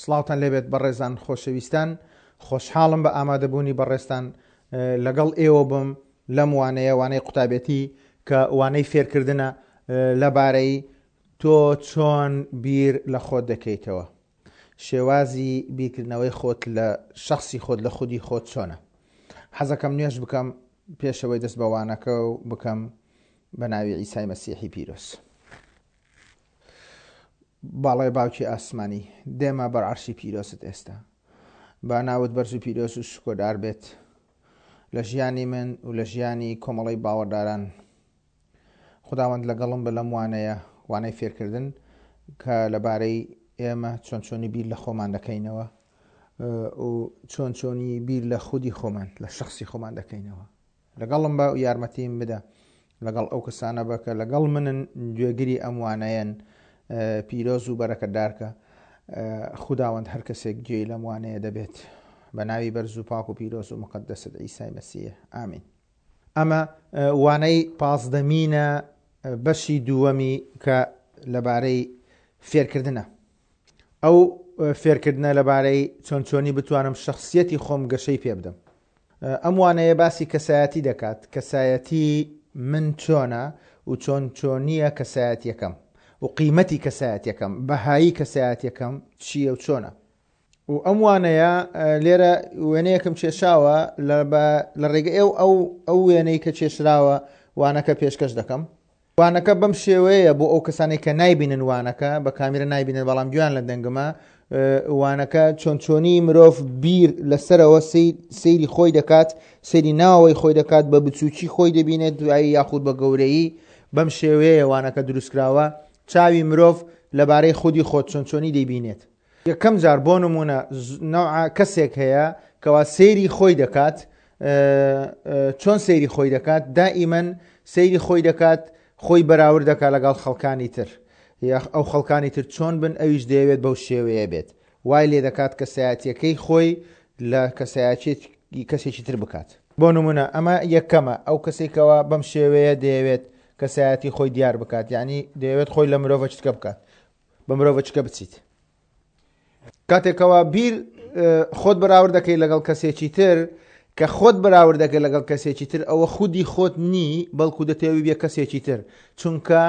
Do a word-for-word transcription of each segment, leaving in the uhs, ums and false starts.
سڵاوتان لێبێت بەڕێزان خۆشەویستان، خۆشحاڵم بە ئامادەبوونی بەڕێزتان لەگەڵ ئێوە بم لەم وانەیە، وانەی قوتابێتی کە وانەی فێرکردنە لەبارەی تۆ چۆن بیر لە خۆت دەکەیتەوە، شێوازی بیرکردنەوەی خۆت لە شەخسی خۆت لە خودی خۆت چۆنە. حەزەکەم نوێژ بکەم پێشەوەی دەست بە وانەکە و بکەم بە ناوی عیسای مەسیحی پیرۆز. باڵای باوکی ئاسمانی، دێمە بەر عەرشی پیرۆزت ئێستا. با ناوت بەرز و پیرۆز و شکۆدار بێت لە ژیانی من و لە ژیانی کۆمەڵەی باوەڕداران. خداوەند لەگەڵم بە لەم وانەیە، وانەی فێرکردن کە لەبارەی ئێمە چۆن چۆنی بیر لە خۆمان دەکەینەوە و چۆن چۆنی بیر لە خودی خۆمان، لە شەخسی خۆمان دەکەینەوە. لەگەڵم بە و یارمەتیم بدە، لەگەڵ ئەو کەسانە بە کە لەگەڵ منن گوێگری ئەم وانەیەن، پیرۆز و بەرەکەتدارکە. خوداوەند هەر کەسێک گوێی لەم وانەیە دەبێت بە ناوی بەرز و پاک و پیرۆز و مقەدەست عیسای مەسیح، ئامین. ئەمە وانەی پازدەمینە بەشی دووەمی کە لەبارەی فێرکردنە. ئەو فێرکردنە لەبارەی چۆن چۆنی بتوانم شەخسیەتی خۆم گەشەی پێ بدەم. ئەم وانەیە باسی کەسایەتی دەکات، کەسایەتی من چۆنە و چۆن چۆنیە کەسایەتیەکەم و قیمەتی کەسایەتیەکەم، بەهایی کەسایەتیەکەم چییە و چۆنە. و ئەم وانەیە لێرە وێنەیەکم کێشاوە لە ڕێگە ئێو ئەو ئەو وێنەی کە کێشراوە وانەکە پێشکەش دەکەم. وانەکە بەم شێوەیە بۆ ئەو کەسانەی کە نایبینن وانەکە، بە کامیرە نایبینن بەڵام گوێیان لە دەنگمە، وانەکە چۆن چۆنی مرۆڤ بیر لەسەرەوە سەیری خۆی دەکات، سەیری ناوەوەی خۆی دەکات، بە بچووکی خۆی دەبینێت دوایی یاخود بە گەورەیی. بەم شێوەیە وانەکە دروستکراوە. چاوی مرۆڤ لەبارەی خودی خۆت چۆن چۆنی دەیبینێت. یەکەم جار بۆ نمونە نەوعە کەسێک هەیە کەوا سەیری خۆی دەکات. چۆن سەیری خۆی دەکات؟ دائیمەن سەیری خۆی دەکات، خۆی بەراورد دەکات لەگەڵ خەڵکانی تر، ئەو خەڵکانی تر چۆن بن ئەویش دەیەوێت بەو شێوەیە بێت. وای لێ دەکات کەسایەتیەکەی خۆی لە کەسایەتی کەسێکی تر بکات. بۆ نمونە ئەمە یەکەمە، ئەو کەسێکەوە بەم شێوەیە دەیەوێت کەسایەتی خۆی دیار بکات، یعنی دەیەوێت خۆی لە مرۆڤە چکە بکات، بە مرۆڤە چکە بچیت. کاتێکەوە بیر خۆت بەراورد دەکەی لەگەڵ کەسێکی تر، کە خۆت بەراورد دەکەی لەگەڵ کەسێکی تر، ئەوە خودی خۆت نی، بەڵکو دەتەوێت بێ کەسێکی تر، چونکە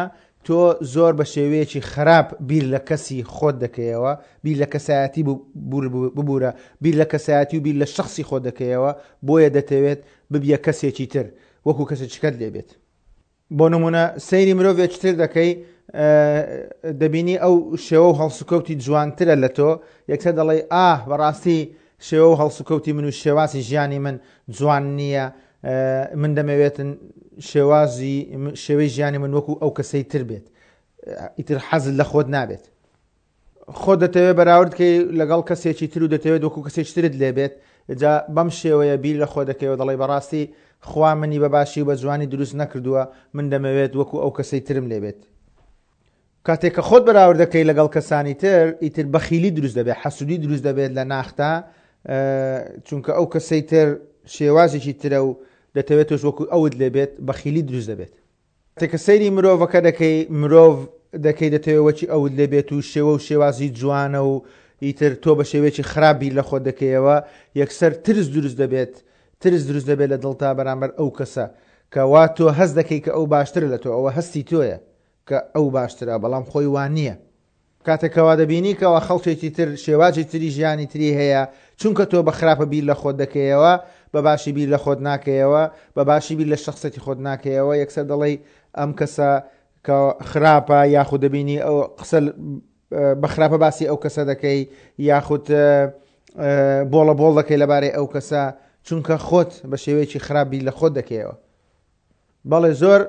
تۆ زۆر بە شێوەیەکی خراپ بیر لە کەسی خۆت دەکەیەوە، بیر لە کەسایەتی ببوورە، بیر لە کەسایەتی و بیر لە شەخسی خۆت دەکەیەوە، بۆیە دەتەوێت ببیە کەسێکی تر وەکو کەسێکیکەت لێبێت. بۆ نمونە سەیری مرۆڤێکی تر دەکەی، دەبینی ئەو شێوە و هەڵسوکەوتی جوانترە لە تۆ، یەکسەر دەڵێی ئاه بەڕاستی شێوە و هەڵسوکەوتی من و شێوازی ژیانی من جوان نییە، من دەمەوێتن شێوازی شێوەی ژیانی من وەکو ئەو کەسەی تر بێت، ئیتر حەزت لە خۆت نابێت. خۆت دەتەوێت بەراورد بکەی لەگەڵ کەسێکی تر و دەتەوێت وەکو کەسێکی ترت لێبێت، جا بەم شێوەیە بیر لە خۆ دەکەیەوە، دەڵێی بەڕاستی خوا منی بە باشی و بە جوانی دروست نەکردووە، من دەمەوێت وەکو ئەو کەسەی ترم لێبێت. کاتێک کە خۆت بەراورد دەکەی لەگەڵ کەسانی تر، ئیتر بەخیلی دروست دەبێت، حەسوودی دروست دەبێت لە ناختا، چونکە ئەو کەسەی تر شێوازێکی ترە و دەتەوێت تۆش وەکو ئەوت لێبێت، بەخیلی دروست دەبێت. کاتێک کە سەیری مرۆڤەکە دەکەی، مرۆڤ دەکەی دەتەوێت وەکی ئەوت لێبێت و شێوە و شێوازی جوانە و ئیتر تۆ بە شێوەیەکی خراپ بیر لە خۆت دەکەیەوە، یەکسەر ترس دروست دەبێت، ترس دروست دەبێت لە دڵتا بەرامبەر ئەو کەسە کە وا تۆ هەست دەکەی کە ئەو باشترە لە تۆ، ئەوە هەستی تۆیە کە ئەو باشترە، بەڵام خۆی وان نییە. کاتێکەوە دەبینی کەوا خەڵکێکی تر شێوازی تری ژیانی تری هەیە، چونکە تۆ بە خراپە بیر لە خۆت دەکەیەوە، بە باشی بیر لە خۆت ناکەیەوە، بە باشی بیر لە شەخسیەتی خۆت ناکەیەوە، یەکسەر دەڵێی ئەم کەسە کە خراپە، یاخود دەبینی ئەو قسە بە خراپە باسی ئەو کەسە دەکەی، یاخود بۆڵە بۆڵ دەکەی لەبارەی ئەو کەسە، چونکە خۆت بە شێوەیەکی خراپ بیر لە خۆت دەکەیەوە. بەڵێ زۆر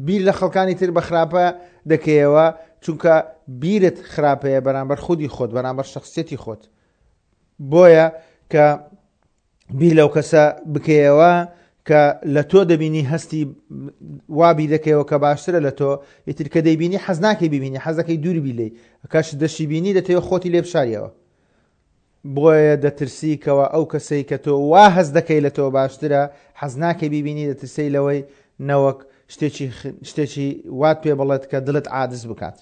بیر لە خەڵکانی تر بە خراپە دەکەیەوە، چونکە بیرت خراپەیە بەرامبەر خودی خۆت، بەرامبەر شەخسیەتی خۆت. بۆیە کە بیر لەو کەسە بکەیەوە کە لە تۆ دەبینی هەستی وا بیر دەکەیەوە کە باشترە لە تۆ، ئیتر کە دەیبینی حەز ناکەی ببینی، حەز دەکەی دوور بی لێی، کاش دەشی بینی دەتەوێت خۆتی لێ بشاریەوە. بۆیە دەترسی کەوە ئەو کەسەی کە تۆ وا هەست دەکەی لە تۆ باشترە حەز ناکەی ببینی، دەترسی لەوەی نەوەک شتێکی شتێکی وات پێ بڵێت کە دڵت عادز بکات.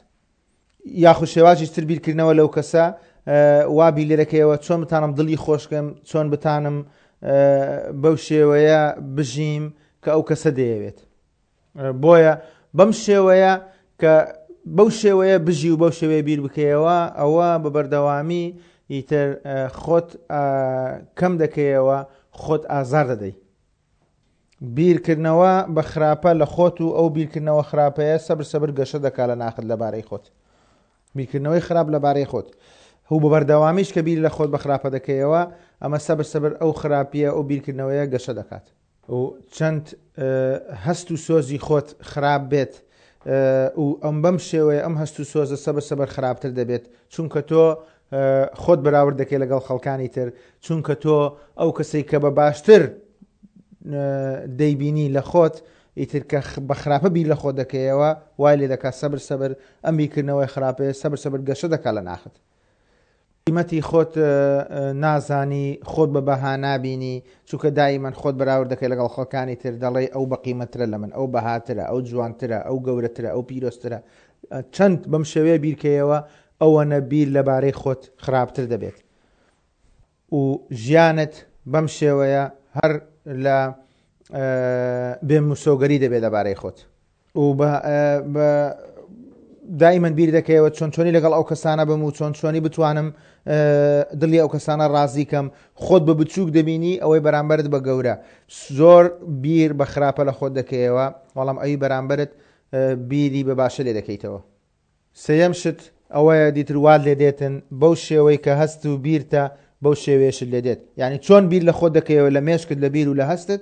یاخود شێوازی تر بیرکردنەوە لەو کەسە وا بیر لێ دەکەیەوە چۆن بتانم دڵی خۆشکەم، چۆن بتانم بەو شێوەیە بژیم کە ئەو کەسە دەیەوێت. بۆیە بەم شێوەیە کە بەو شێوەیە بژی و بەو شێوەیە بیر بکەیەوە، ئەوە بە بەردەوامی ئیتر خۆت کەم دەکەیەوە، خۆت ئازار دەدەی. بیرکردنەوە بە خراپە لە خۆت و ئەو بیرکردنەوە خراپەیە سەبر سەبر گەشە دەکا لە ناخت لەبارەی خۆت. بیرکردنەوەی خراپ لەبارەی خۆت هو بە بەردەوامیش کە بیر لە خۆت بە خراپە دەکەیەوە، ئەمە سەبر سەبر ئەو خراپیە ئەو بیرکردنەوەیە گەشە دەکات. و چەند هەست و سۆزی خۆت خراپ بێت و ئەم بەم شێوەیە ئەم هەست و سۆزە سەبر سەبر خراپتر دەبێت، چونکە تۆ خۆت بەراورد دەکەی لەگەڵ خەڵکانی تر، چونکە تۆ ئەو کەسەی کە بە باشتر دەیبینی لە خۆت، ئیتر کە بە خراپە بیر لە خۆت دەکەیەوە وای لێ دەکات سەبر سەبر ئەم بیرکردنەوەی خراپەیە سەبر سەبر گەشە دەکات لە ناخت. قیمەتی خۆت نازانی، خۆت بە بەها نابینی، چونکە دائیمەن خۆت بەراورد دەکەی لەگەڵ خەڵکانی تر، دەڵێی ئەو بەقیمەترە لە من، ئەو بەهاترە، ئەو جوانترە، ئەو گەورەترە، ئەو پیرۆزترە. چەند بەم شێوەیە بیرکەیەوە ئەوەنە بیر لەبارەی خۆت خراپتر دەبێت و ژیانت بەم شێوەیە هەر لە بێمسۆگەری دەبێت لەبارەی خۆت. و بە دائیمەن بیر دەکەیەوە چۆن چۆنی لەگەڵ ئەو کەسانە بم و چۆن چۆنی بتوانم دڵی ئەو کەسانە ڕازی کەم. خۆت بە بچووک دەبینی، ئەوەی بەرامبەرت بە گەورە. زۆر بیر بە خراپە لە خۆت دەکەیەوە، بەڵام ئەوی بەرامبەرت بیری بە باشە لێ دەکەیتەوە. سێیەم شت ئەوەیە دیتر وات لێ دێتن بەو شێوەی کە هەست و بیرتە بەو شێوەیەشت لێ دێت. یعنی چۆن بیر لە خۆت دەکەیەوە لە مێشکت لە بیر و لە هەستت،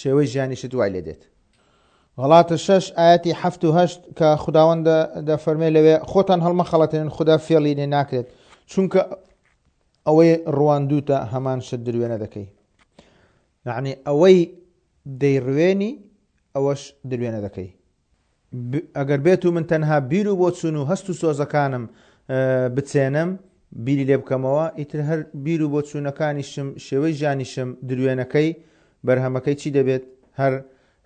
شێوەی ژیانیشت وای لێ دێت. غەڵاتە شەش ئاەتی حەفت و هەشت کە خداوەند دەفەرمێ لەوێ خۆتان هەڵمەخەڵەتێنن، خودا فێڵی لێ ناکرێت، چونکە ئەوەی ڕواندوتە هەمان شت دروێنە دەکەی. یعنی ئەوەی دەیڕوێنی ئەوەش دروێنە دەکەی. ئەگەر بێت و من تەنها بیر و بۆچوون و هەست و سۆزەکانم بچێنم، بیری لێ بکەمەوە، ئیتر هەر بیر و بۆچوونەکانیشم شێوەی ژیانیشم دروێنەکەی بەرهەمەکەی چی دەبێت؟ هەر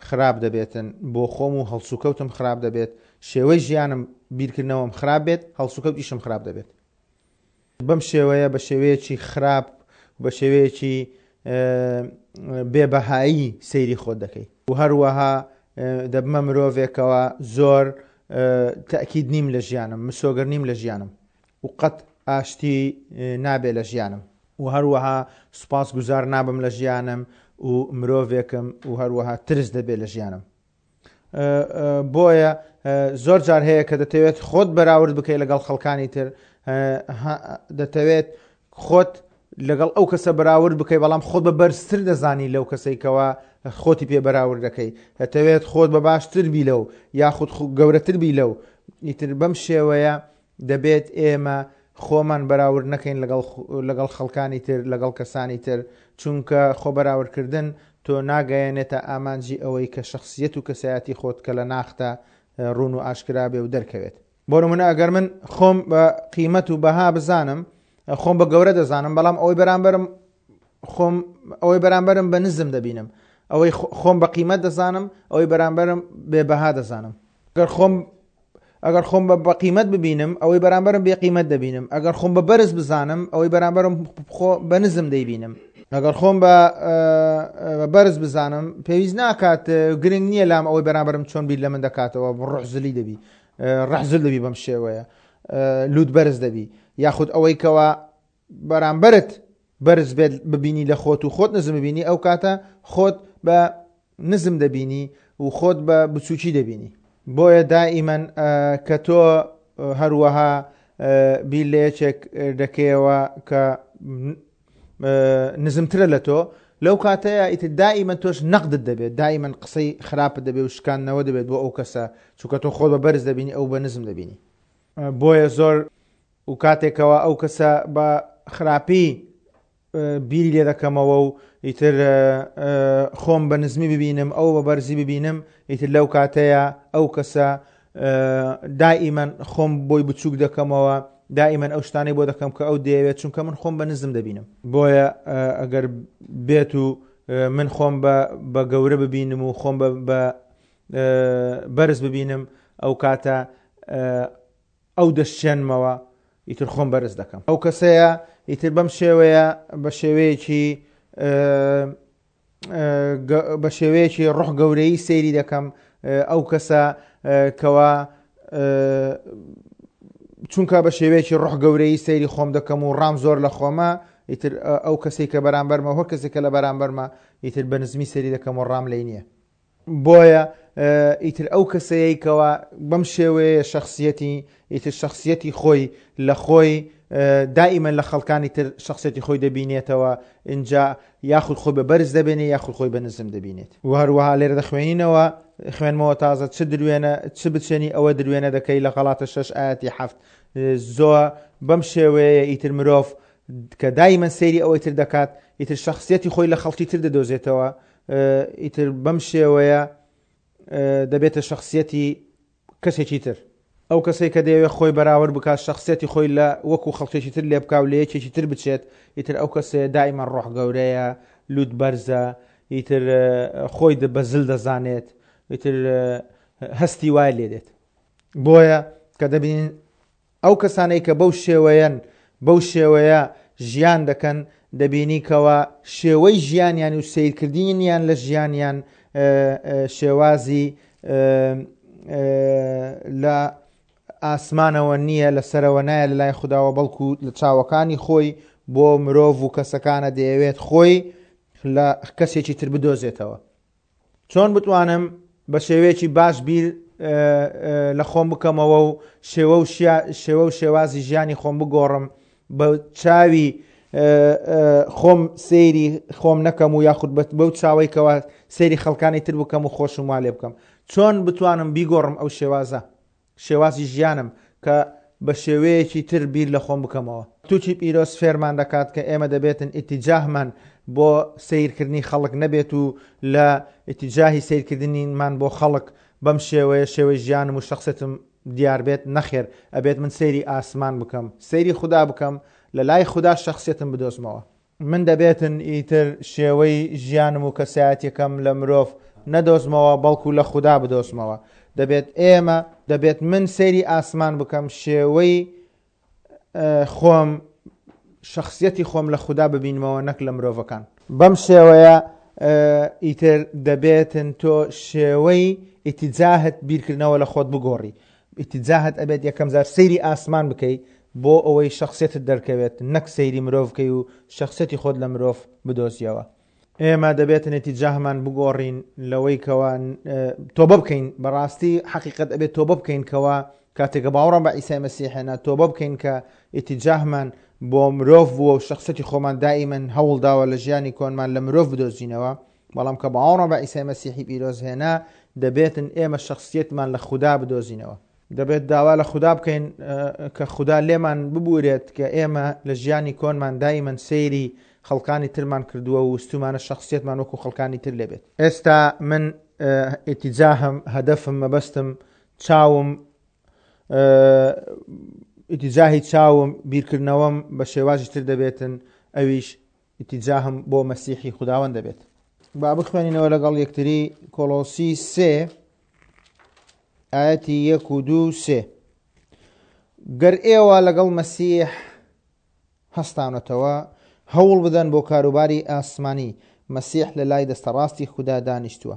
خراپ دەبێتن. بۆ خۆم و هەڵسوکەوتم خراپ دەبێت، شێوەی ژیانم بیرکردنەوەم خراپ بێت، هەڵسوکەوتیشم خراپ دەبێت. بەم شێوەیە بە شێوەیەکی خراپ بە شێوەیەکی بێبەهایی سەیری خۆت دەکەی. و هەروەها دەبمە مرۆڤێکەوە زۆر تەئکید نیم لە ژیانم، مسۆگەر نیم لە ژیانم و قەت ئاشتی نابێ لە ژیانم. و هەروەها سوپاس گوزار نابم لە ژیانم و مرۆڤێکم و هەروەها ترس دەبێت لە ژیانم. بۆیە زۆر جار هەیە کە دەتەوێت خۆت بەراورد بکەیت لەگەڵ خەڵکانی تر، دەتەوێت خۆت لەگەڵ ئەو کەسە بەراورد بکەیت، بەڵام خۆت بە بەرزتر دەزانی لەو کەسێکەوە خۆتی پێ بەراورد دەکەی، دەتەوێت خۆت بە باشتر بی لەو یاخود گەورەتر بی لەو. ئیتر بەم شێوەیە دەبێت ئێمە خۆمان بەراورد نەکەین لەگەڵ خەڵکانی تر، لەگەڵ کەسانی تر، چونکە خۆ بەراوردکردن تۆ ناگەیەنێتە ئامانجی ئەوەی کە شخصیەت و کەسایەتی خۆت کە لە ناختە ڕوون و ئاشکرا بێ و دەرکەوێت. بۆ نمونە ئەگەر من خۆم بە قیمەت و بەها بزانم، خۆم بە گەورە دەزانم، بەڵام ئەوەی بەرامبەرم خۆم ئەوەی بەرامبەرم بە نزم دەبینم، ئەوەی خۆم بە قیمەت دەزانم، ئەوەی بەرامبەرم بێ بەها دەزانم. ئەگەر خۆم ئەگەر خۆم بە قیمەت ببینم، ئەوەی بەرامبەرم بێ قیمەت دەبینم. ئەگەر خۆم بە بەرز بزانم، ئەوەی بەرامبەرم خۆ بە نزم دەیبینم. ئەگەر خۆم بە بەرز بزانم، پێویست ناکات، گرنگ نییە لام ئەوەی بەرامبەرم چۆن بیر لە من دەکاتەوە، ڕحزلی دەبی، ڕحزل دەبی بەم شێوەیە، لوت بەرز دەبی، یاخود ئەوەی کەوا بەرامبەرت بەرز بێت ببینی لە خۆت و خۆت نزم ببینی، ئەو کاتە خۆت بە نزم دەبینی و خۆت بە بچووکی دەبینی. بۆیە دائیمەن کە تۆ هەروەها بیر لە یەکێک دەکەیەوە کە نزمترە لە تۆ، لەو کاتەیە ئیتر دائیمەن تۆش نەقدت دەبێت، دائیمەن قسەی خراپت دەبێت و شکاندنەوە دەبێت بۆ ئەو کەسە، چونکە تۆ خۆت بە بەرز دەبینی، ئەو بە نزم دەبینی. بۆیە زۆر و کاتێکەوە ئەو کەسە بە خراپی بیری لێ دەکەمەوە و ئیتر خۆم بە نزمی ببینم، ئەو بە بەرزی ببینم، ئیتر لەو کاتەیە ئەو کەسە دائیمەن خۆم بۆی بچووک دەکەمەوە، دائیمەن ئەو شتانەی بۆ دەکەم کە ئەو دەیەوێت، چونکە من خۆم بە نزم دەبینم. بۆیە ئەگەر بێت و من خۆم بە گەورە ببینم و خۆم بە بەرز ببینم، ئەو کاتە ئەو دەشێنمەوە، ئیتر خۆم بەرز دەکەم. ئەو کەسەیە ئیتر بەم شێوەیە بە شێوەیەکی بە شێوەیەکی ڕۆح گەورەیی سەیری دەکەم. ئەو کەسە کەوا چونکە بە شێوەیەکی ڕۆح گەورەیی سەیری خۆم دەکەم و ڕام زۆر لە خۆمە، ئیتر ئەو کەسێک کە بەرامبەرمە هەر کەسێک کە لە بەرامبەرمە ئیتر بە نزمی سەیری دەکەم و ڕام لێی نییە. بۆیە ئیتر ئەو کەسەیە کەوا بەم شێوەیە شخصیەتی ئیتر شخصیەتی خۆی لە خۆی دائیمەن لە خەڵکانی تر شخصیەتی خۆی دەبینێتەوە، اینجا یاخود خۆی بە بەرز دەبێنێ یاخود خۆی بە نزم دەبینێت. و هەروەها لێرە دەخوێنینەوە خوێنمەوە تازە چ دروێنە چ بچێنی ئەوە دروێنە دەکەی لە غەڵاتە شەش ئاەتی حەفت. زۆر بەم شێوەیە ئیتر مرۆڤ کە دائیمەن سەیری ئەوەی تر دەکات ئیتر شخصیەتی خۆی لە خەڵکی تر دەدۆزێتەوە، ئیتر بەم شێوەیە دەبێتە شخصیەتی کەسێکی تر. ئەو کەسێک کە دەیەوێت خۆی بەراورد بکات شخصیەتی خۆی لە وەکو خەڵکێکی تر لێ بکا و لە یەکێکی تر بچێت، ئیتر ئەو کەسەیە دائیمەن ڕۆح گەورەیە، لوت بەرزە، ئیتر خۆی بە زل دەزانێت، ئیتر هەستی وای لێ دێت. بۆیە کە دەبینین ئەو کەسانەی کە بەو شێوەیەن بەو شێوەیە ژیان دەکەن، دەبینی کەوا شێوەی ژیانیان و سیرکردنیان لە ژیانیان شێوازی لە ئاسمانەوە نییە، لەسەرەوە نایە لە لای خودداوە، بەڵکو لە چاوەکانی خۆی بۆ مرۆڤ و کەسەکانە دەیەوێت خۆی لە کەسێکی تر بدۆزێتەوە. چۆن بتوانم بە شێوەیەکی باش بیر لە خۆم بکەمەوە و شێوە و شێوە و شێوازی ژیانی خۆم بگۆڕم، بە چاوی خۆم سەیری خۆم نەکەم و یاخود بەو چاوەی کەوا سەیری خەڵکانی تر بکەم و خۆشم وا لێ بکەم. چۆن بتوانم بیگۆڕم ئەو شێوازە، شێوازی ژیانم کە بە شێوەیەکی تر بیر لە خۆم بکەمەوە. تووکی پیرۆز فێرمان دەکات کە ئێمە دەبێتن ئیتیجاهمان بۆ سیرکردنی خەڵک نەبێت و لە ئیتیجاهی سیرکردنیمان بۆ خەڵک بەم شێوەیە شێوەی ژیانم و شخصێتم دیار بێت. نەخێر، ئەبێت من سەیری ئاسمان بکەم، سەیری خودا بکەم، لە لای خودا شخصێتم بدۆزمەوە. من دەبێتن ئیتر شێوەی ژیانم و کەسایەتیەکەم لە مرۆڤ نەدۆزمەوە، بەڵکو لە خودا بدۆزمەوە. دەبێت ئێمە دەبێت من سەیری ئاسمان بکەم، شێوەی خۆم شخصیەتی خۆم لە خودا ببینمەوە نەک لە مرۆڤەکان. بەم شێوەیە ئیتر دەبێتن تۆ شێوەی ئیتیجاهت بیرکردنەوە لە خۆت بگۆڕی. ئیتیجاهت ئەبێت یەکەم جار سەیری ئاسمان بکەی بۆ ئەوەی شخصیەتت دەرکەوێت، نەک سەیری مرۆڤ بکەی و شخصیەتی خۆت لە مرۆڤ بدۆزیەوە. ئێمە دەبێتن ئیتیجاهمان بگۆڕین لەوەی کەوا تۆبە بکەین. بەڕاستی حەقیقەت ئەبێت تۆبە بکەین کەوا کاتێکە باوەڕم بە عیسای مەسیحێنە تۆبە بکەین کە ئیتیجاهمان بۆ مرۆڤ بووە و شخصیەتی خۆمان دائیمەن هەوڵ داوە لە ژیانی کۆنمان لە مرۆڤ بدۆزینەوە. بەڵام کە باوەڕم بە عیسای مەسیحی پیرۆز هێنا دەبێتن ئێمە شخصیەتمان لە خودا بدۆزینەوە. دەبێت داوا لە خودا بکەین کە خودا لێمان ببورێت کە ئێمە لە ژیانی کۆنمان دائیمەن سەیری خەڵکانی ترمان کردووە و وستومانە شخصیەتمان وەکو خەڵکانی تر لێبێت. ئێستا من ئیتیجاهم، هەدەفم، مەبەستم، چاوم، ئیتیجاهی چاوم، بیرکردنەوەم بە شێوازی تر دەبێتن، ئەویش ئیتیجاهم بۆ مەسیحی خوداوەند دەبێت. با بخوێنینەوە لەگەڵ یەکتری کۆلۆسی سێ ئاەتی یەک و دوو سێ. گەر ئێوە لەگەڵ مەسیح هەستانەتەوە هەوڵ بدەن بۆ کاروباری ئاسمانی، مەسیح لە لای دەستەڕاستی خودا دانیشتووە.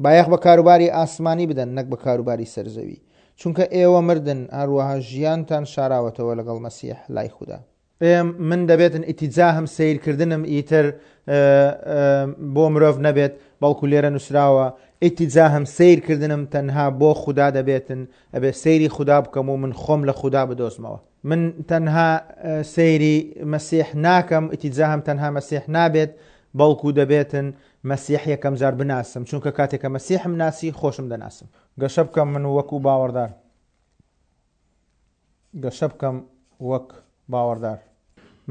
بایەخ بە کاروباری ئاسمانی بدەن نەک بە کاروباری سەرزەوی، چونکە ئێوە مردن، هەروەها ژیانتان شاراوەتەوە لەگەڵ مەسیح لای خودا. من دەبێتن ئیتیجاهم سیرکردنم ئیتر بۆ مرۆڤ نەبێت، بەڵکو لێرە نووسراوە ئیتیجاهم سیرکردنم تەنها بۆ خودا دەبێتن، ئەبێ سەیری خودا بکەم و من خۆم لە خودا بدۆزمەوە. من تەنها سەیری مەسیح ناکەم، ئیتیجاهم تەنها مەسیح نابێت، بەڵکو دەبێتن مەسیح یەکەم جار بناسم، چونکە کاتێکە مەسیحم ناسی خۆشم دەناسم. گەشە بکەم من وەکو باوەڕدار، گەشە بکەم وەک باوەڕدار.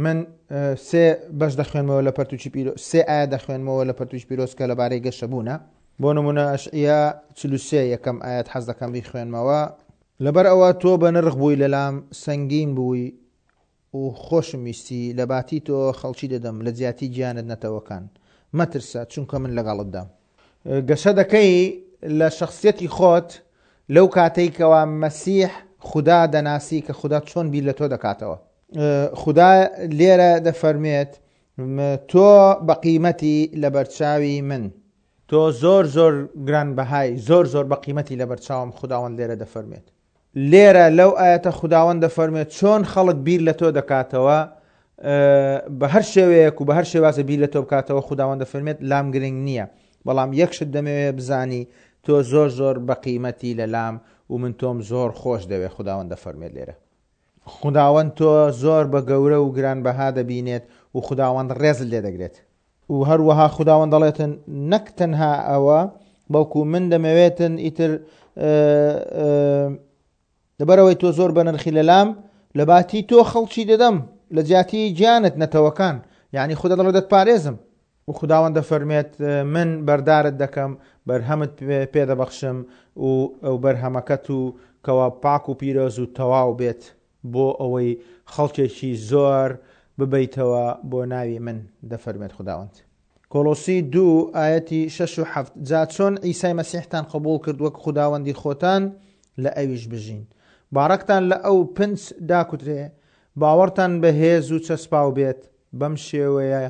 من سێ بەش دەخوێنمەوە لە پەرتوکی پیرۆز، سێ ئایا دەخوێنمەوە لە پەرتوکی پیرۆز کە لەبارەی گەشەبوونە. بۆ نمونە ئەشعیا چل و سێ یەکەم ئاەت حەز دەکەم بیخوێنمەوە. لەبەر ئەوە تۆ بە نرخ بووی لەلام، سەنگین بووی و خۆشم ویستی، لە باتی تۆ خەڵکی دەدەم، لە جیاتی گیانت نەتەوەکان. مەترسە چونکە من لەگەڵتدام. گەشە دەکەی لە شخصیەتی خۆت لەو کاتەی کەوا مەسیح خودا دەناسی کە خودا چۆن بیر لە تۆ دەکاتەوە. خودا لێرە دەفەرمێت تۆ بە قیمەتی لەبەرچاوی من، تۆ زۆر زۆر گرانبەهای، زۆر زۆر بە قیمەتی لەبەرچاوم. خوداوەند لێرە دەفەرمێت. لێرە لەو ئاەتە خوداوەند دەفەرمێت چۆن خەڵک بیر لە تۆ دەکاتەوە، بە هەر شێوەیەک و بە هەر شێوازە بیر لە تۆ بکاتەوە، خوداوەند دەفەرمێت لام گرنگ نییە، بەڵام یەک شت دەمەوێت بزانی تۆ زۆر زۆر بە قیمەتی لە لام و من تۆم زۆر خۆش دەوێت. خوداوەند دەفەرمێت لێرە خوداوەند تۆ زۆر بە گەورە و گرانبەها دەبینێت و خوداوەند ڕێزت لێ دەگرێت. و هەروەها خوداوەند دەڵێتن نەک تەنها ئەوە، بەڵکو من دەمەوێتن ئیتر لەبەرەوەی تۆ زۆر بەنرخی لەلام، لە باتی تۆ خەڵکی دەدەم، لە جیاتی گیانت نەتەوەکان، یعنی خودا دەڵێت دەتپارێزم. و خوداوەند دەفەرمێت من بەردارت دەکەم، بەرهەمت پێدەبەخشم و ئەو بەرهەمەکەت و کەوا پاک و پیرۆز و تەواو بێت بۆ ئەوەی خەڵکێکی زۆر ببەیتەوە بۆ ناوی من، دەفەرمێت خوداوەند. کۆلۆسی دوو ئایەتی شەش و حەفت، جا چۆن عیسای مەسیحتان قبوڵ کرد وەک خوداوەندی خۆتان لە ئەویش بژین، باڕەکتان لە ئەو پنج داکوترێ، باوەڕتان بەهێز و چەسپاو بێت، بەم شێوەیە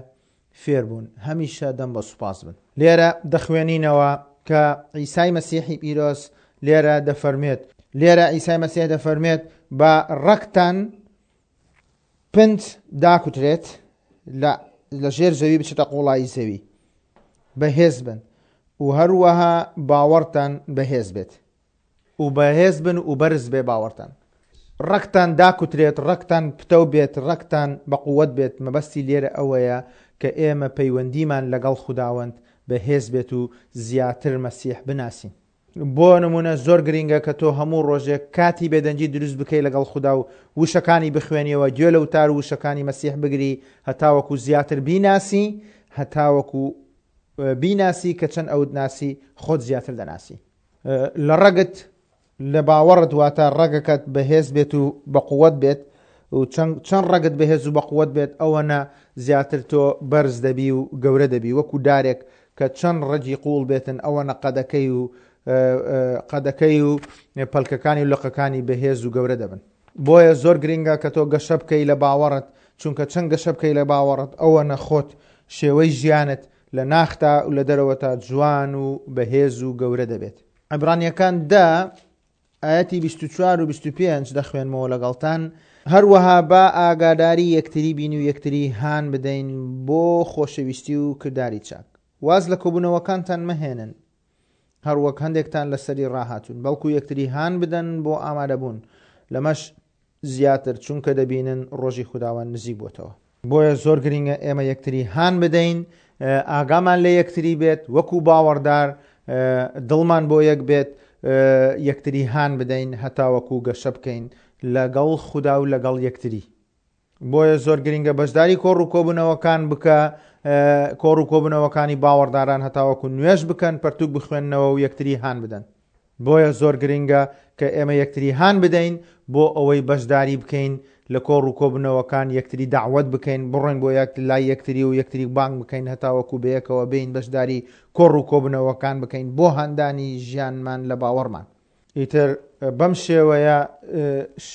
فێربوون، هەمیشە دەم بە سوپاس بن. لێرە دەخوێنینەوە کە عیسای مەسیحی پیرۆز لێرە دەفەرمێت، لێرە عیسای مەسیح دەفەرمێت بە ڕەکتان پنج داکوترێت، لە ژێر زەوی بچێتە قوڵایی زەوی، بەهێز بن و هەروەها باوەڕتان بەهێز بێت و بەهێز بن و بەرز بێ باوەڕتان. ڕەکتان داکوترێت، ڕەکتان پتەو بێت، ڕەکتان بەقووەت بێت. مەبەستی لێرە ئەوەیە کە ئێمە پەیوەندیمان لەگەڵ خوداوەند بەهێز بێت و زیاتر مەسیح بناسین. بۆ نمونە زۆر گرنگە کە تۆ هەموو ڕۆژێک کاتی بێدەنگی دروست بکەی لەگەڵ خودا و وشەکانی بخوێنیەوە، گوێ لە وتار و وشەکانی مەسیح بگری هەتاوەکو زیاتر بیناسی، هەتاوەکو بیناسی کە چەند ئەوت ناسی خۆت زیاتر دەناسی. لە ڕەگت لە باوەڕت، واتە ڕەگەکەت بەهێز بێت و بەقووەت بێت و چەند ڕەگت بەهێز و بەقووەت بێت ئەوەنە زیاتر تۆ بەرز دەبی و گەورە دەبی. وەکو دارێک کە چەند ڕەگی قوڵ بێتن ئەوەنە قەدەکەی و قەدەکەی و پەلکەکانی و لقەکانی بەهێز و گەورە دەبن. بۆیە زۆر گرنگە کە تۆ گەشە بکەی لە باوەڕت، چونکە چەند گەشە بکەی لە باوەڕت ئەوەنە خۆت شێوەی ژیانت لە ناختا و لە دەرەوەتا جوان و بەهێز و گەورە دەبێت. عیبرانیەکان دە ئاەتی بیست و چوار و بیست و پێنج دەخوێنمەوە لەگەڵتان. هەروەها با ئاگاداری یەکتری بین و یەکتری هان بدەین بۆ خۆشەویستی و کرداری چاک. واز لە کۆبوونەوەکانتان مەهێنن هەروەک هەندێکتان لەسەری ڕاهاتوون، بەڵکو یەکتری هان بدەن بۆ ئامادەبوون، لەمەش زیاتر چونکە دەبینن ڕۆژی خوداوەند نزیک بۆتەوە. بۆیە زۆر گرنگە ئێمە یەکتری هان بدەین، ئاگامان لە یەکتری بێت، وەکو باوەڕدار دڵمان بۆ یەک بێت، یەکتری هان بدەین هەتاوەکو گەشە بکەین لەگەڵ خودا و لەگەڵ یەکتری. بۆیە زۆر گرنگە بەشداری کۆڕ و کۆبوونەوەکان بکە، کۆڕ و کۆبوونەوەکانی باوەڕداران هەتاوەکو نوێژ بکەن، پەرتوک بخوێننەوە و یەکتری هان بدەن. بۆیە زۆر گرنگە کە ئێمە یەکتری هان بدەین بۆ ئەوەی بەشداری بکەین لە کۆڕ و کۆبوونەوەکان، یەکتری داوەت بکەین، بڕۆین بۆ لای یەکتری و یەکتری بانگ بکەین هەتاوەکو بەیەکەوە بین بەشداری کۆڕ و کۆبوونەوەکان بکەین بۆ هاندانی ژیانمان لە باوەڕمان. ئیتر بەم شێوەیە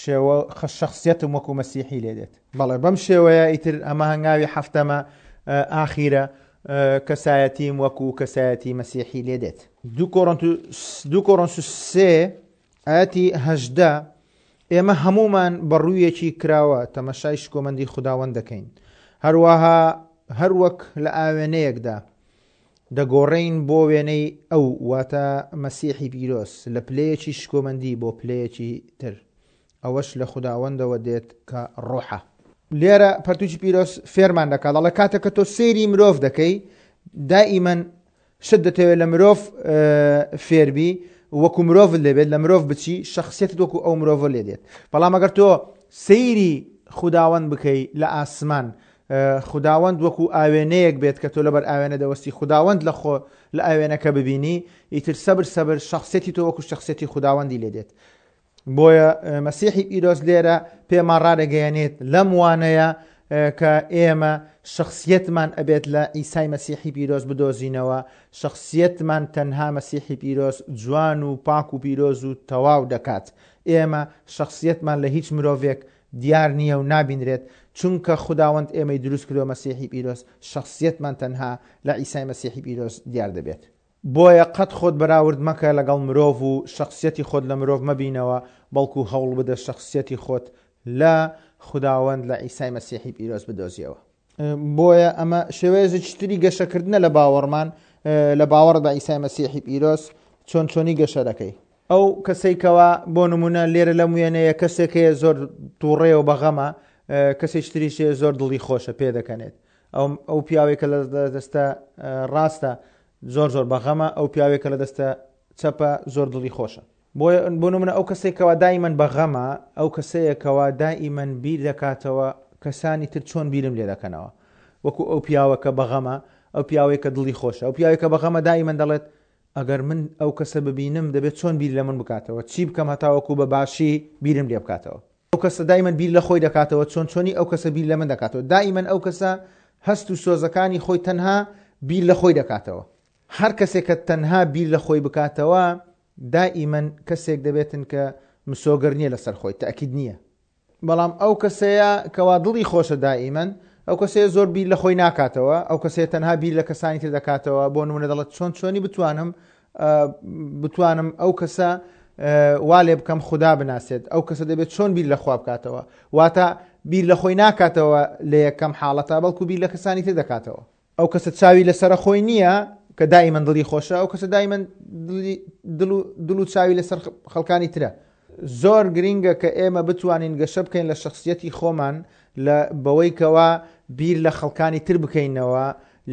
شێوە شەخسیەتم وەکو مەسیحی لێ دێت. بەڵێ بەم شێوەیە ئیتر ئەمە هەنگاوی حەفتەمە ئاخیرە کەسایەتیم وەکو کەسایەتی مەسیحی لێ دێت. دوو کۆرنتۆس سێ ئاەتی هەژدە، ئێمە هەمومان بە ڕوویەکی کراوە تەمەشای شکۆمەندی خوداوەند دەکەین، هەروەها هەروەک لە ئاوێنەیەکدا دەگۆڕین بۆ وێنەی ئەو، واتە مەسیحی پیرۆز، لە پلەیەکی شکۆمەندی بۆ پلەیەکی تر، ئەوەش لە خوداوەندەوە دێت کە ڕۆحە. لێرە پەرتوکی پیرۆز فێرمان دەکات، دەڵێ کاتێک کە تۆ سەیری مرۆڤ دەکەی دائیمەن شت دەتەوێت لە مرۆڤ فێربی، وەکو مرۆڤ لێبێت، لە مرۆڤ بچی شخصیتت وەکو ئەو مرۆڤ لێ دێت. بەڵام ئەگەر تۆ سەیری خوداوەند بکەی لە ئاسمان، خوداوەند وەکو ئاوێنەیەک بێت کە تۆ لەبەر ئاوێنە دەوەستی، خوداوەند لە خۆ لە ئاوێنەکە ببینی، ئیتر سەبر سەبر شخصیەتی تۆ وەکو شخصیەتی خوداوەندی لێ دێت. بۆیە مەسیحی پیرۆز لێرە پێمان ڕادەگەیەنێت لەم وانەیە کە ئێمە شخصیەتمان ئەبێت لە عیسای مەسیحی پیرۆز بدۆزینەوە. شخصیەتمان تەنها مەسیحی پیرۆز جوان و پاک و پیرۆز و تەواو دەکات. ئێمە شەخسیەتمان لە هیچ مرۆڤێک دیار نییە و نابینرێت، چونکە خوداوەند ئێمەی دروست کردووە مەسیحی پیرۆز، شەخسیەتمان تەنها لە عیسای مەسیحی پیرۆز دیار دەبێت. بۆیە قەت خۆت بەراورد مەکە لەگەڵ مرۆڤ و شەخسیەتی خۆت لە مرۆڤ مەبینەوە، بەڵکو هەوڵ بدە شەخسیەتی خۆت لە خوداوەند لە عیسای مەسیحی پیرۆز بدۆزیەوە. بۆیە ئەمە شێوەیەکی تری گەشەکردنە لە باوەڕمان، لە باوەڕ بە عیسای مەسیحی پیرۆز چۆن چۆنی گەشە دەکەی. ئەو کەسەی کەوا بۆ نمونە لێرە لەم وێنەیە کەسێک هەیە زۆر تووڕەیە و بەغەمە، کەسێکی تریش هەیە زۆر دڵی خۆشە پێدەکەنێت. ئەو، ئەو پیاوێک کە لە دەستە ڕاستە زۆر زۆر بەغەمە، ئەو پیاوێک کە لە دەستە چەپە زۆر دڵی خۆشە. بۆ نمونە ئەو کەسێک کەوا دائیمەن بەغەمە، ئەو کەسەیە کەوا دائیمەن بیر دەکاتەوە کەسانی تر چۆن بیرم لێ دەکەنەوە. وەکو ئەو پیاوە کە بەغەمە، ئەو پیاوێک کە دڵی خۆشە، ئەو پیاوێک کە بەغەمە دائیمەن دەڵێت ئەگەر من ئەو کەسە ببینم دەبێت چۆن بیر لە من بکاتەوە، چی بکەم هەتاوەکو بە باشی بیرم لێ بکاتەوە. ئەو کەسە دائیمەن بیر لە خۆی دەکاتەوە، چۆن چۆنی ئەو کەسە بیر لە من دەکاتەوە. دائیمەن ئەو کەسە هەست و سۆزەکانی خۆی تەنها بیر لە خۆی دەکاتەوە. هەر کەسێک کە تەنها بیر لە خۆی بکاتەوە دائیمەن کەسێک دەبێتن کە مسۆگەر نییە لەسەر خۆی، تەئکید نییە. بەڵام ئەو کەسەیە کەوا دڵی خۆشە دائیمەن، ئەو کەسەیە زۆر بیر لە خۆی ناکاتەوە، ئەو کەسەیە تەنها بیر لە کەسانی تر دەکاتەوە. بۆ نمونە دەڵێت چۆن چۆنی بتوانم، بتوانم ئەو کەسە وا لێ بکەم خودا بناسێت، ئەو کەسە دەبێت چۆن بیر لە خوا بکاتەوە. واتە بیر لە خۆی ناکاتەوە لە یەکەم حاڵەتە، بەڵکو بیر لە کەسانی تر دەکاتەوە. ئەو کەسە چاوی لەسەر خۆی نییە کە دائیمەن دڵی خۆشە، ئەو کەسە دائیمەن دڵ و چاوی لەسەر خەڵکانی ترە. زۆر گرینگە کە ئێمە بتوانین گەشە بکەین لە شخصیەتی خۆمان لە بەوەی کەوا بیر لە خەڵکانی تر بکەینەوە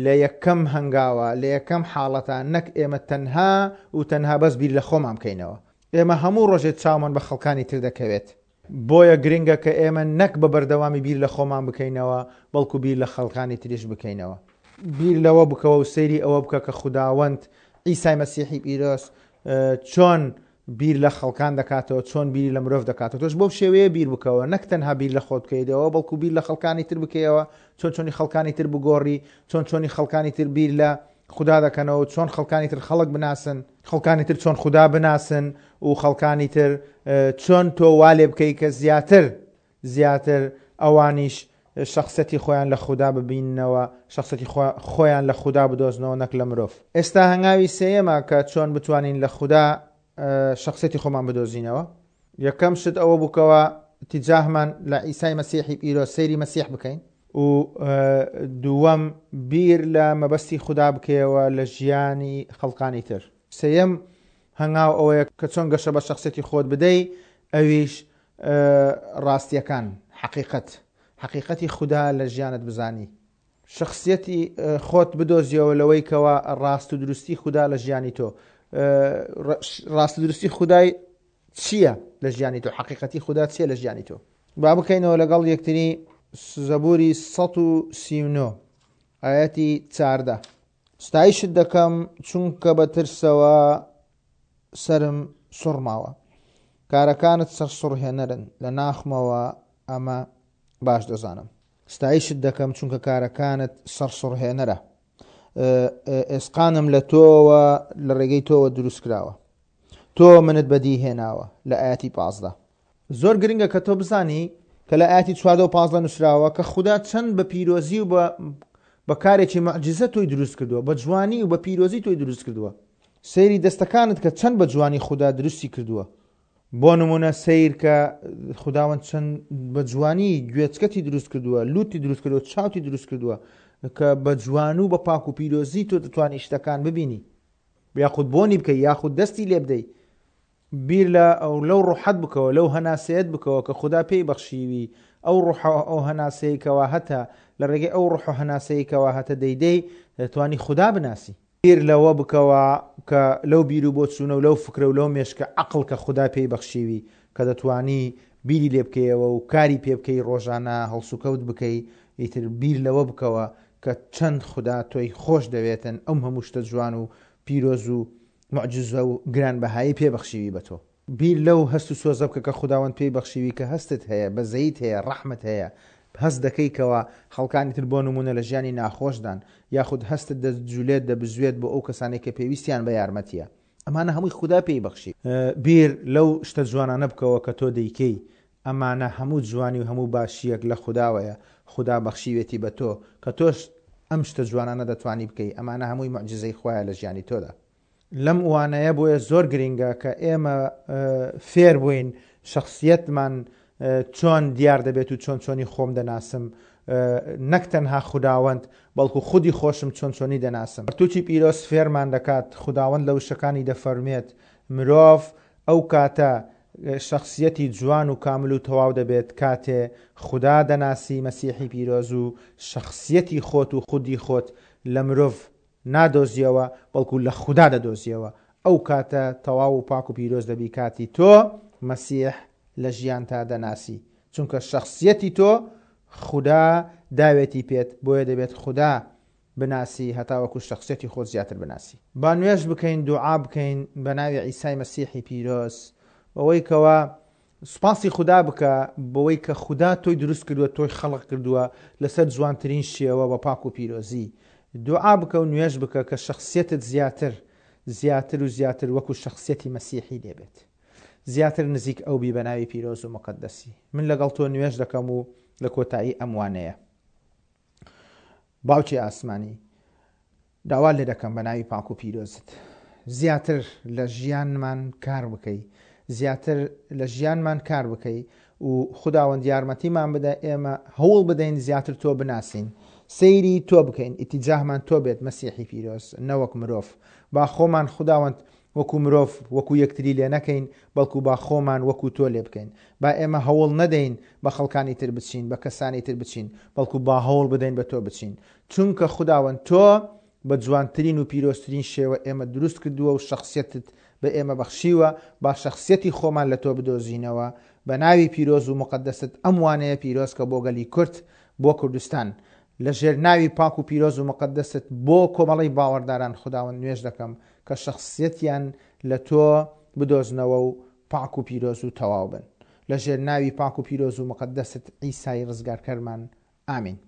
لە یەکەم هەنگاوە، لە یەکەم حاڵەتە، نەک ئێمە تەنها و تەنها بەس بیر لە خۆمان بکەینەوە. ئێمە هەموو ڕۆژێک چاومان بە خەڵکانی تر دەکەوێت. بۆیە گرنگە کە ئێمە نەک بە بەردەوامی بیر لە خۆمان بکەینەوە، بەڵکو بیر لە خەڵکانی تریش بکەینەوە. بیر لەوە بکەوە و سەیری ئەوە بکە کە خوداوەند عیسای مەسیحی پیرۆز چۆن بیر لە خەڵکان دەکاتەوە، چۆن بیری لە مرۆڤ دەکاتەوە. تۆش بەو شێوەیە بیر بکەوە، نەک تەنها بیر لە خۆت بکەیتەوە، بەڵکو بیر لە خەڵکانی تر بکەیەوە، چۆن چۆنی خەڵکانی تر بگۆڕی، چۆن چۆنی خەڵکانی تر بیر لە خودا دەکەنەوە، چۆن خەڵکانی تر خەڵک بناسن، خەڵکانی تر چۆن خودا بناسن و خەڵکانی تر چۆن تۆ وا لێ بکەی کە زیاتر زیاتر ئەوانیش شخصەتی خۆیان لە خودا ببیننەوە، شخصەتی خۆیان لە خودا بدۆزنەوە نەک لە مرۆڤ. ئێستا هەنگاوی سێیەمە کە چۆن بتوانین لە خودا شخصەتی خۆمان بدۆزینەوە. یەکەم شت ئەوە بووکەوە تیجاهمان لە عیسای مەسیحی پیرۆز سەیری مەسیح بکەین، و دووەم بیر لە مەبەستی خودا بکەیەوە لە ژیانی خەڵکانی تر. سێیەم هەنگاو ئەوەیە کە چۆن گەشە بە شخصەتی خۆت بدەی، ئەویش ڕاستیەکان، حەقیقەت، حەقیقەتی خودا لە ژیانت بزانی. شخصیەتی خۆت بدۆزیەوە لەوەی کەوا ڕاست و دروستی خودا لە ژیانی تۆ، ڕاست و دروستی خودای چییە لە ژیانی تۆ، حەقیقەتی خودا چییە لە ژیانی تۆ. با بکەینەوە لەگەڵ یەکتری زەبوری سەد و سی و نۆ ئایەتی چاردە. ستایشت دەکەم چونکە بە ترسەوە سەرم سوڕماوە، کارەکانت سەرسوڕهێنەرن، لە ناخمەوە ئەمە باش دەزانم. ستایشت دەکەم چونکە کارەکانت سەرسوڕهێنەرە، ئێسقانم لە تۆوە لە ڕێگەی تۆوە دروست کراوە، تۆ منت بەدی هێناوە. لە ئاەتی پازدە. زۆر گرنگە کە تۆ بزانی کە لە ئاەتی چواردە و پازدە نووسراوە کە خودا چەند بە پیرۆزی و بە کارێکی معجزە تۆی دروست کردووە، بە جوانی و بە پیرۆزی تۆی دروست کردووە. سەیری دەستەکانت کە چەند بە جوانی خودا دروستی کردووە. بۆ نمونە سەیر کە خوداوەند چەند بە جوانی گوێچکەتی دروست کردووە، لوتی دروست کردووە، چاوتی دروست کردووە، کە بە جوان و بە پاک و پیرۆزی تۆ دەتوانی شتەکان ببینی، یاخود بۆنی بکەی، یاخود دەستی لێ بدەی. بیر لە ئەو لەو ڕوحەت بکەوە، لەو هەناسەیەت بکەوە کە خودا پێی بەخشیوی، ئەو ڕوح ئەو هەناسەیە کەوا هەتە لە ڕێگەی ئەو ڕوح و هەناسەیە کەوا هەتە دەیدەی دەتوانی خودا بناسی. بیر لەوە بکەوە کە لەو بیر و بۆچوونە و لەو فکرە و لەو مێشکە عەقڵ کە خودا پێی بەخشیوی کە دەتوانی بیری لێ بکەیەوە و کاری پێ بکەی، ڕۆژانە هەڵسوکەوت بکەی. ئیتر بیر لەوە بکەوە کە چەند خودا تۆی خۆش دەوێتن، ئەم هەموو شتە جوان و پیرۆز و معجزە و گرانبەهایی پێ بەخشیوی بە تۆ. بیر لەو هەست و سۆزە بکە کە خوداوەند پێی بەخشیوی، کە هەستت هەیە، بەزەیت هەیە، ڕەحمت هەیە، هەست دەکەی کەوا خەڵکانی تر بۆ نمونە لە ژیانی ناخۆشدان، یاخود هەستت دەجولێت دەبزوێت بۆ ئەو کەسانێک کە پێویستیان بە یارمەتیە. ئەمانە هەمووی خودا پێی بەخشی. بیر لەو شتە جوانانە بکەوە کە تۆ دەیکەی، ئەمانە هەموو جوانی و هەموو باشییەک لە خوداوەیە، خودا بەخشیوێتی بە تۆ کە تۆش ئەم شتە جوانانە دەتوانی بکەی، ئەمانە هەمووی موعجیزەی خوایە لە ژیانی تۆدا. لەم وانەیە بۆیە زۆر گرینگە کە ئێمە فێر بووین شەخسیەتمان چۆن دیار دەبێت و چۆن چۆنی خۆم دەناسم، نەک تەنها خوداوەند بەڵکو خودی خۆشم چۆن چۆنی دەناسم. پەرتوکی پیرۆز فێرمان دەکات، خوداوەند لە وشەکانی دەفەرموێت مرۆڤ ئەو کاتە شەخسیەتی جوان و کامل و تەواو دەبێت کاتێ خودا دەناسی مەسیحی پیرۆز و شەخسیەتی خۆت و خودی خۆت لە مرۆڤ نادۆزیەوە بەڵکو لە خودا دەدۆزیەوە، ئەو کاتە تەواو و پاک و پیرۆز دەبی کاتی تۆ مەسیح لە ژیانتا دەناسی، چونکە شەخسیەتی تۆ خودا داوێتی پێت، بۆیە دەبێت خودا بناسی هەتاوەکو شەخسیەتی خۆت زیاتر بناسی. با نوێژ بکەین، دوعا بکەین بە ناوی عیسای مەسیحی پیرۆز، بەوەی کەوا سوپاسی خودا بکە بەوەی کە خودا تۆی دروست کردووە، تۆی خەڵق کردووە لەسەر جوانترین شێوە بە پاک و پیرۆزی. دوعا بکە و نوێژ بکە کە شەخسیەتت زیاتر زیاتر و زیاتر وەکو شەخسیەتی مەسیحی لێبێت، زیاتر نزیک ئەو بی بە ناوی پیرۆز و مقەدەسی. من لەگەڵ تۆ نوێژ دەکەم و لە کۆتایی ئەم وانەیە باوکی ئاسمانی داوا لێ دەکەم بە ناوی پاک و پیرۆزت زیاتر لە ژیانمان کار بکەی، زیاتر لە ژیانمان کار بکەی و خوداوەند یارمەتیمان بدە ئێمە هەوڵ بدەین زیاتر تۆ بناسین، سەیری تۆ بکەین، ئیتیجاهمان تۆ بێت مەسیحی پیرۆز نەوەک مرۆڤ. با خۆمان خوداوەند وەکو مرۆڤ وەکو یەکتری لێ نەکەین، بەڵکو با خۆمان وەکو تۆ لێ بکەین. با ئێمە هەوڵ نەدەین بە خەڵکانی تر بچین، بە کەسانی تر بچین، بەڵکو با هەوڵ بدەین بە تۆ بچین، چونکە خوداوەند تۆ بە جوانترین و پیرۆزترین شێوە ئێمە دروست کردووە و شەخسیەتت بە ئێمە بەخشیوە. با شەخسیەتی خۆمان لە تۆ بدۆزینەوە بە ناوی پیرۆز و مقەدەست ئەم وانەیە پیرۆز کە بۆ گەلی کورد، بۆ کوردستان، لە ژێر ناوی پاک و پیرۆز و مقەدەست بۆ کۆمەڵەی باوەڕداران خوداوەند نوێژ دەکەم کە شەخسیەتیان لە تۆ بدۆزنەوە و پاک و پیرۆز و تەواو بن. لە ژێر ناوی پاک و پیرۆز و مقەدەست عیسای ڕزگارکەرمان. ئامین.